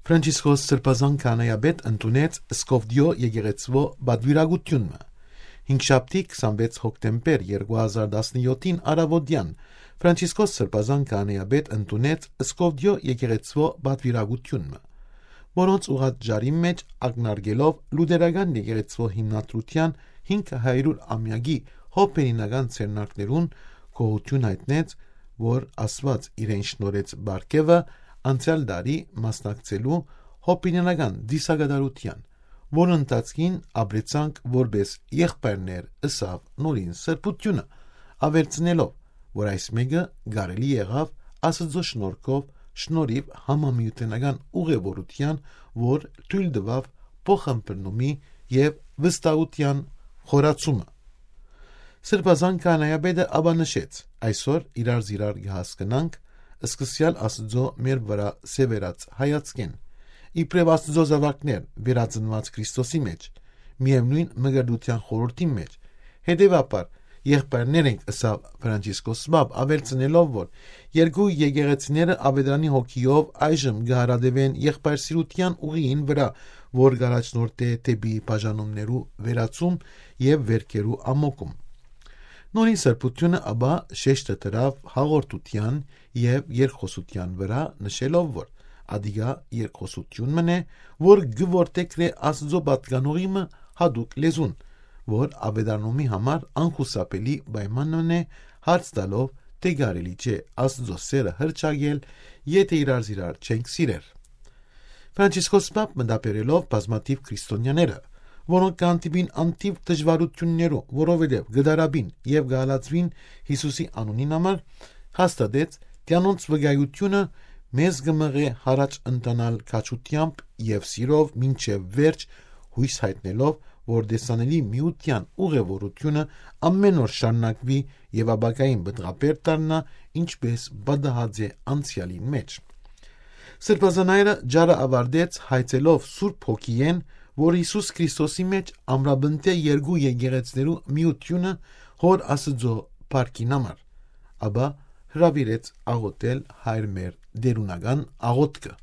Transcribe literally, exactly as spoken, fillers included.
Ֆրանցիսկոս Սրբազան քահանայապետ ընդունեց Սկովդիո եկեղեցվո բադվիրագությունը։ Հինգշաբթի քսանվեց հոկտեմբեր երկու հազար տասնյոթին առավոտյան Ֆրանցիսկոս Սրբազան քահանայապետ ընդունեց Սկովդիո եկեղեցվո բադվիրագությունը, որոնց ուղղած ժարի մեջ ակնարկելով լուտերական եկեղեցվո հիմնադրության հինգ հարյուր ամյակի հոբերինական ցերնակներուն գոհություն հայտնեց, որ Աստված իրեն շնորհեց բարգեւը անցյալ տարի մասնակցելու հոբերինական դիսագադարության, որ ընթացքին ապրեցանք որպես եղբայրներ ըսավ նորին սրբությունը, ավերցնելով, որ այս մեկը կարելի եղավ Աստծո շնորհքով շնորհիվ համամիութենական ուղևորության, որ թույլ տվավ փոխըմբռնումի եւ վստահության խորացումը։ Սրբազան քահանայապետը ապա նշեց. այսօր իրար զիրար կհասկանանք սկսյալ Աստծո մեր վրա սևերած հայացքեն, իբրև Աստծո զավակներ վերածնված Քրիստոսի մեջ, միևնույն մգրդության խորհրդի մեջ, հետևաբար եղբայրներ ենք ըսավ Ֆրանցիսկոս Պապ, ավերցնելով, որ երկու եկեղեցիները ավետարանի հոգիով այժմ կհարադևեն եղբայրսիրության ուղին վրա, որ գարաչնորդ է դեպի բաժանումներու վերացում եւ վերքերու ամոկում։ Նորին սրբությունը ապա շեշտը դրավ հաղորդության եւ երկխոսության վրա, նշելով, որ ադիգա երկխոսություն մնե, որ գվորտեքրե Աստծո պատկանողիմը հadouk լեզուն, որ ավետարանումի համար անխուսափելի պայմանն է, հարց տալով, թե կարելի չէ Աստծո սերը հրճագել, եթե իրար զիրար չենք սիրեր։ Ֆրանցիսկոս Պապ մտաբերելով բազմաթիվ քրիստոնյաները, որոնք կանտիբին անտիվ դժվարություններով, որովհետև գդարաբին եւ գալածվին Հիսուսի անունին համար, հաստատեց դրանց վկայությունը մեզ գմղե հարաճ ընտանալ քաչությամբ եւ սիրով մինչեւ վերջ, հույս հայտնելով, որ դեսանելի միության ուղևորությունը ամեն օր շարունակվի եւ ապագային բդղապեր դառնա, ինչպես բադահած է անցյալին մեջ։ Սրբազանայրը ջարը ավարտեց հայցելով Սուրբ Հոգիեն, որ Հիսուս Քրիստոսի մեջ ամրաբնտե երկու եկեղեցներու միությունը հոր Աստծո փառքին համար, ապա հրավիրեց աղոթել հայր մեր դերունական աղոթքը։